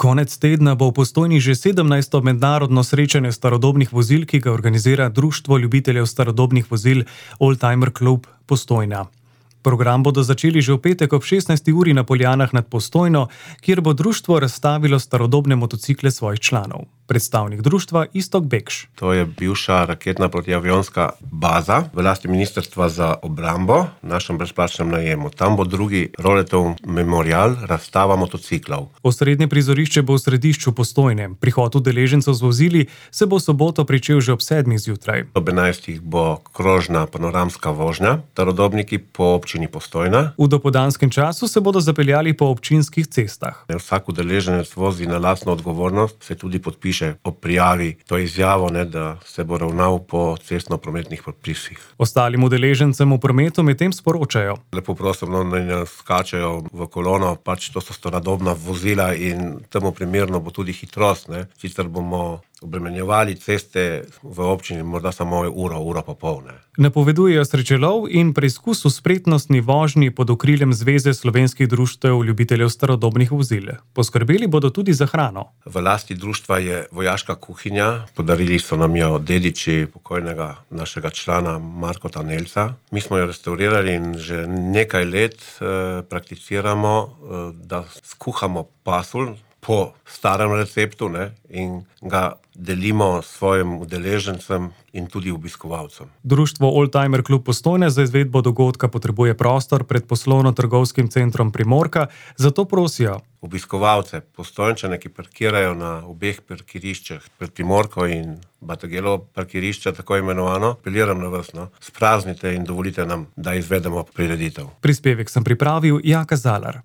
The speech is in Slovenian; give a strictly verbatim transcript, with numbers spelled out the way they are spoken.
Konec tedna bo v Postojni že sedemnajsto mednarodno srečanje starodobnih vozil, ki ga organizira Društvo ljubiteljev starodobnih vozil Oldtimer Klub Postojna. Program bodo začeli že v petek ob šestnajsti uri na Poljanah nad Postojno, kjer bo društvo razstavilo starodobne motocikle svojih članov. Predstavnik društva Iztok Bekš. To je bivša raketna protiavionska baza v lasti Ministrstva za obrambo v našem brezplačnem najemu. Tam bo drugi Roletov memorial, razstava motociklov. Osrednje prizorišče bo v središču Postojne. Prihod udeležencev z vozili se bo v soboto pričel že ob sedmih zjutraj. Ob enajstih bo krožna panoramska vožnja, starodobniki po občini Postojna. V dopoldanskem času se bodo zapeljali po občinskih cestah. Vsak udeleženec vozi na lastno odgovornost, se tudi podpiše o prijavi to izjavo, ne, da se bo ravnal po cestno-prometnih predpisih. Ostalim udeležencem v prometu medtem sporočajo: Lepo prosim, no, naj ne skačejo v kolono, pač to so starodobna vozila in temu primerno bo tudi hitrost, ne. Sicer bomo obremenjevali ceste v občini morda samo uro, uro pa pol, ne. Napovedujejo srečelov in preizkus v spretnostni vožnji pod okriljem Zveze slovenskih društev ljubiteljev starodobnih vozil. Poskrbeli bodo tudi za hrano. V lasti društva je vojaška kuhinja, podarili so nam jo dediči pokojnega našega člana Markota Nelca. Mi smo jo restaurirali in že nekaj let eh, prakticiramo, eh, da skuhamo pasulj po starem receptu, ne, in ga delimo svojim udeležencem in tudi obiskovalcem. Društvo Oldtimer Klub Postojna za izvedbo dogodka potrebuje prostor pred poslovno-trgovskim centrom Primorka, zato prosijo obiskovalce, Postojnčane, ki parkirajo na obeh parkiriščih pred Primorko in Batagelovo parkirišče, tako imenovano, apeliram na vas, no, spraznite in dovolite nam, da izvedemo prireditev. Prispevek sem pripravil Jaka Zalar.